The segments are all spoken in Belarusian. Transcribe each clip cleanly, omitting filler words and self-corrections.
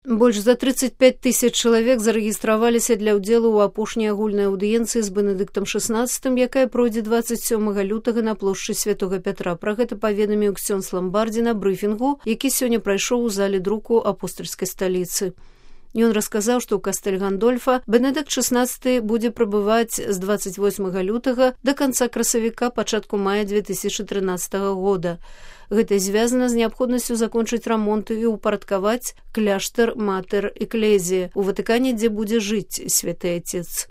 Больш за 35 тысяч чалавек зарэгістраваліся для ўдзелу ў апошняй агульнай аўдыенцыі з Бенедыктам XVI, якая пройдзе 27 лютага на плошчы Святога Пятра. Пра гэта паведаміў ксёндз Ламбардзі на брыфінгу, які сёння прайшоў у зале друку апостальскай сталіцы. Ён расказаў, што ў кастэль Гандольфа Бенедыкт XVI будзе прабываць з 28 лютага да канца красавіка, пачатку мая 2013 года. Гэта звязана з неабходнасцю закончыць рамонт і ўпарадкаваць кляштар Матэр Эклезія ў Ватыкане, дзе будзе жыць святы Отец.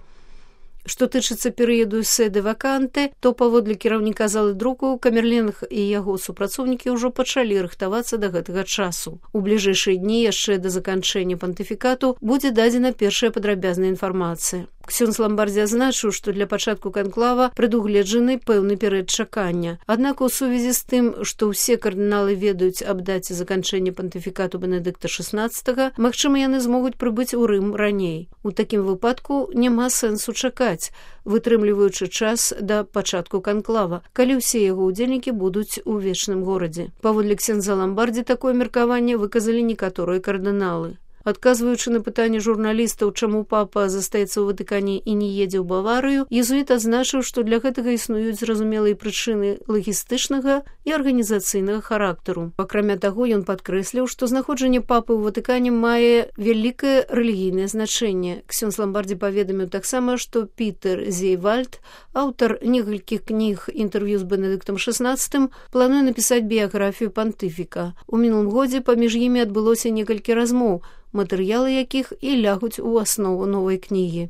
Што тычыцца перыяду седы ваканты, то паводле кіраўніка залы друку Камерленг і яго супрацоўнікі ўжо пачалі рыхтавацца да гэтага часу. У бліжэйшыя дні яшчэ да заканчэння пантыфікату будзе дадзена першая падрабязная інфармацыя. Ксёндз Ламбардзі азначыў, што для пачатку канклава прадугледжаны пэўны перыяд чакання. Аднак у сувязі з тым, што ўсе кардыналы ведаюць аб даце заканчэння пантыфікату Бенедыкта XVI, магчыма, яны змогуць прыбыць у Рым раней. У такім выпадку няма сэнсу чакаць, вытрымліваючы час да пачатку канклава, калі ўсе яго ўдзельнікі будуць у вечным горадзе. Паводле ксёндза Ламбардзі такое меркаванне выказалі некаторыя кардыналы. Адказваючы на пытанне журналістаў, чаму папа застаецца ў Ватыкане і не едзе ў Баварыю, езуіт адзначыў, што для гэтага існуюць зразумелыя прычыны лагістычнага і арганізацыйнага характару. Акрамя таго, ён падкрэсліў, што знаходжанне папы ў Ватыкане мае вялікае рэлігійнае значэнне. Ксёндз Ламбардзі паведаміў таксама, што Пітер Зейвальд, аўтар некалькіх кніг інтэрв'ю з Бенедыктам XVI, плануе напісаць біяграфію пантыфіка. У мінулым годзе паміж імі адбылося некалькі размоў, матэрыялы якіх і лягуць у аснову новай кнігі.